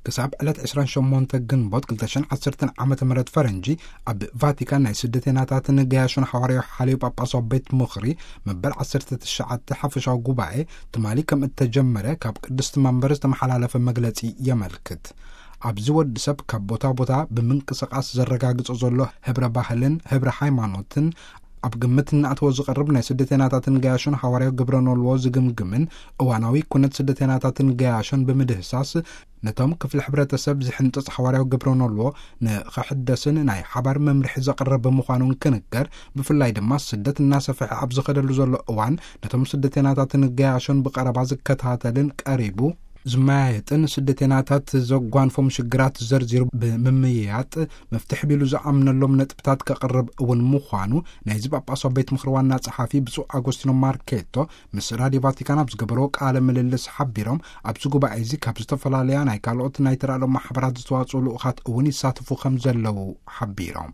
ክሳብ ዕለት ዕስራን ሸሞንተ ግንቦት ክልተ ሽሕን ዓሰርተን ዓመተ ምህረት ፈረንጂ፣ ኣብ ቫቲካን ናይ ስደተናታትን ገያሾን ሓዋርያዊ ሓልዮ ጳጳሳዊ ቤት ምኽሪ መበል ዓሰርተ ትሽዓተ ሓፈሻዊ ጉባኤ ትማሊ ከም እተጀመረ ካብ ቅድስቲ መንበር ዝተመሓላለፈ መግለጺ የመልክት። ኣብዚ ወዲ ሰብ ካብ ቦታ ቦታ ብምንቅስቓስ ዘረጋግጾ ዘሎ ህብረ ባህልን ህብረ ሃይማኖትን ኣብ ግምት እናእተወ ዝቐርብ ናይ ስደተናታትን ገያሾን ሓዋርያዊ ግብረ ኖልዎ ዝግምግምን እዋናዊ ኩነት ስደተናታትን ገያሾን ብምድህሳስ፣ ነቶም ክፍሊ ሕብረተሰብ ዝሕንጽጽ ሓዋርያዊ ግብረ ኖልዎ ንኽሕደስን ናይ ሓባር መምርሒ ዘቕርብ ብምዃኑን ክንገር፣ ብፍላይ ድማ ስደት እናሰፍሐ ኣብ ዝኸደሉ ዘሎ እዋን ነቶም ስደተናታትን ገያሾን ብቐረባ ዝከታተልን ቀሪቡ ዝመያየጥን ስደተናታት ዘጓንፎም ሽግራት ዘርዚሩ ብምምይያጥ መፍትሒ ቢሉ ዝኣምነሎም ነጥብታት ከቕርብ እውን ምዃኑ ናይዚ ጳጳሳዊ ቤት ምኽሪ ዋና ጸሓፊ ብፁዕ ኣጎስቲኖ ማርኬቶ ምስ ራድዮ ቫቲካን ኣብ ዝገበርዎ ቃለ ምልልስ ሓቢሮም፣ ኣብዚ ጉባኤ እዚ ካብ ዝተፈላለያ ናይ ካልኦት ናይ ተራድኦ ማሕበራት ዝተዋጽኡ ልኡኻት እውን ይሳተፉ ከም ዘለዉ ሓቢሮም።